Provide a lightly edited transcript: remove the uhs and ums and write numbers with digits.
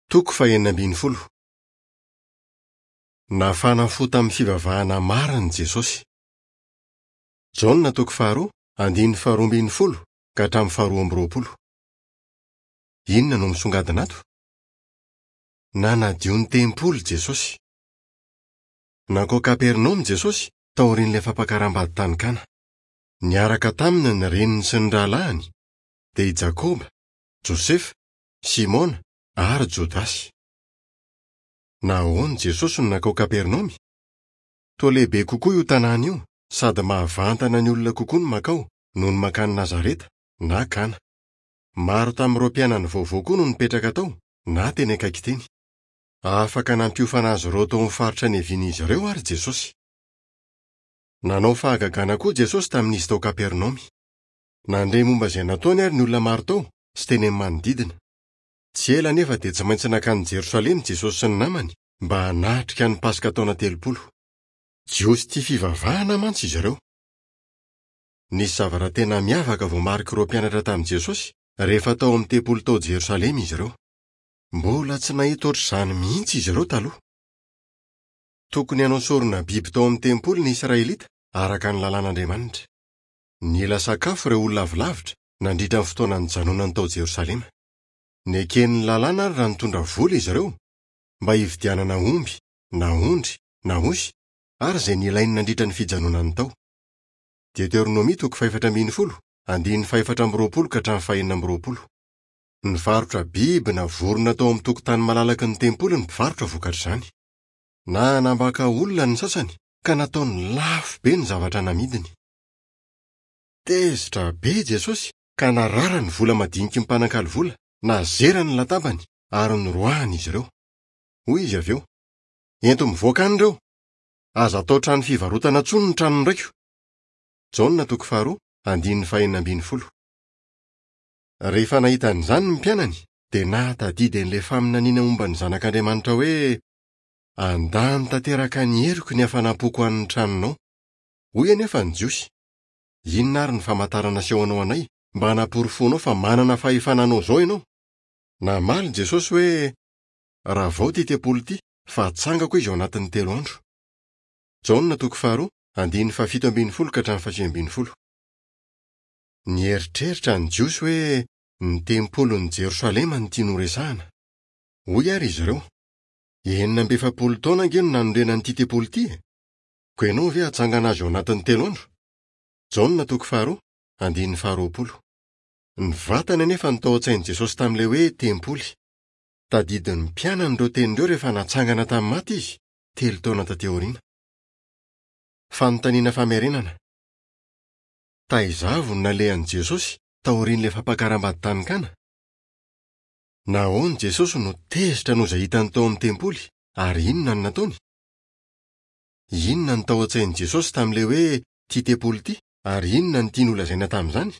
Toko fahenina ambin'ny folo. Nafana fo tamin'ny fivavahana marina Jesosy. Jaona toko faharoa, andininy faharoa ambin'ny folo ka hatramin'ny faharoa amby roapolo. Inona no misongadina ato? Nanadio ny tempoly Jesosy. Nankao Kapernaomy Jesosy taorian'ilay fampakaram-bady tany Kana. Niaraka taminy ny reniny sy ny rahalahiny, dia i Jakoba, Josefa, Simona ary Jodasy. Nahoana Jesosy no nankao Kapernaomy? Toa lehibe kokoa io tanàna io sady mahavantana ny olona kokoa ny mankao noho ny mankany Nazareta na Kana. Maro tamin'ireo mpianany vaovao koa no nipetraka tao na teny akaiky teny. Afaka nampiofana azy ireo tao amin'ny faritra niavian'izy ireo àry Jesosy. Nanao fahagagana koa Jesosy tamin'izy tao Kapernaomy. Nandre momba izay nataony àry ny olona maro tao sy teny amin'ny manodidina. Tsy ela anefa dia tsy maintsy nankany Jerosalema Jesosy sy ny namany mba hanatrika ny Paska taona 30. Jiosy tia fivavahana mantsy izy ireo. Nisy zavatra tena miavaka voamarik'ireo mpianatra tamin'i Jesosy rehefa tao amin'ny tempoly tao Jerosalema izy ireo. Mbola tsy nahita hoatr'izany mihitsy izy ireo taloha. Tokony hanao sorona biby tao amin'ny tempoly ny Israelita, araka ny Lalàn'Andriamanitra. Nila sakafo ireo olona avy lavitra, nandritra ny fotoana nijanonany tao Jerosalema. Neken'ny Lalàna àry raha nitondra vola izy ireo, mba hividianana omby, na ondry, na osy, ary izay nilainy nandritra ny fijanonany tao. Deoteronomia toko fahefatra ambin'ny folo, andininy fahefatra amby roapolo ka hatramin'ny fahenina amby roapolo. Nivarotra biby na vorona tao amin'ny tokotany malalaky ny tempoly ny mpivarotra vokatr'izany. Nanambaka olona ny sasany ka nataony lafo be ny zavatra namidiny. Tezitra be i Jesosy ka narara ny vola madiniky ny mpanakalo vola, nazerany ny latabany ary noroahany izy ireo. Hoy izy avy eo, Ento mivoaka any ireo! Aza atao trano fivarotana intsony ny tranon'ny raiko! Jaona toko faharoa, andininy fahenina ambin'ny folo. Rehefa nahita an'izany ny mpianany, dia nahatadidy an'ilay faminaniana momba ny Zanak'Andriamanitra hoe, Handany tanteraka ny heriko ny hafanam-poko ho an'ny tranonao. Hoy anefa ny Jiosy, Inona àry ny famantarana asehonao anay mba hanaporofoanao fa manana fahefana hanao izao ianao? Namaly Jesosy hoe, Ravao ity tempoly ity, fa hatsangako izy ao anatin'ny 3 andro. Jaona toko faharoa, andininy fahafito ambin'ny folo ka hatramin'ny fahasivy ambin'ny folo. Nieritreritra ny Jiosy hoe ny tempolin'i Jerosalema no tiany horesahina. Hoy àry izy ireo, 46 taona ange no nanorenana an'ity tempoly ity e! Koa ianao ve hatsangana azy ao anatin'ny 3 andro? Jaona toko faharoa, andininy faharoapolo. Ny vatany anefa no tao an-tsain'i Jesosy tamin'ilay hoe tempoly. Tadidin'ny mpianany ireo teny ireo rehefa natsangana tamin'ny maty izy, 3 taona tatỳ aoriana. Fanontaniana famerenana. Taiza avy no nalehan'i Jesosy taorian'ilay fampakaram-bady tany Kana? Nahoana Jesosy no tezitra noho izay hitany tao amin'ny tempoly, ary inona no nataony? Inona no tao an-tsain'i Jesosy tamin'ilay hoe ity tempoly ity, ary inona no tiany holazaina tamin'izany?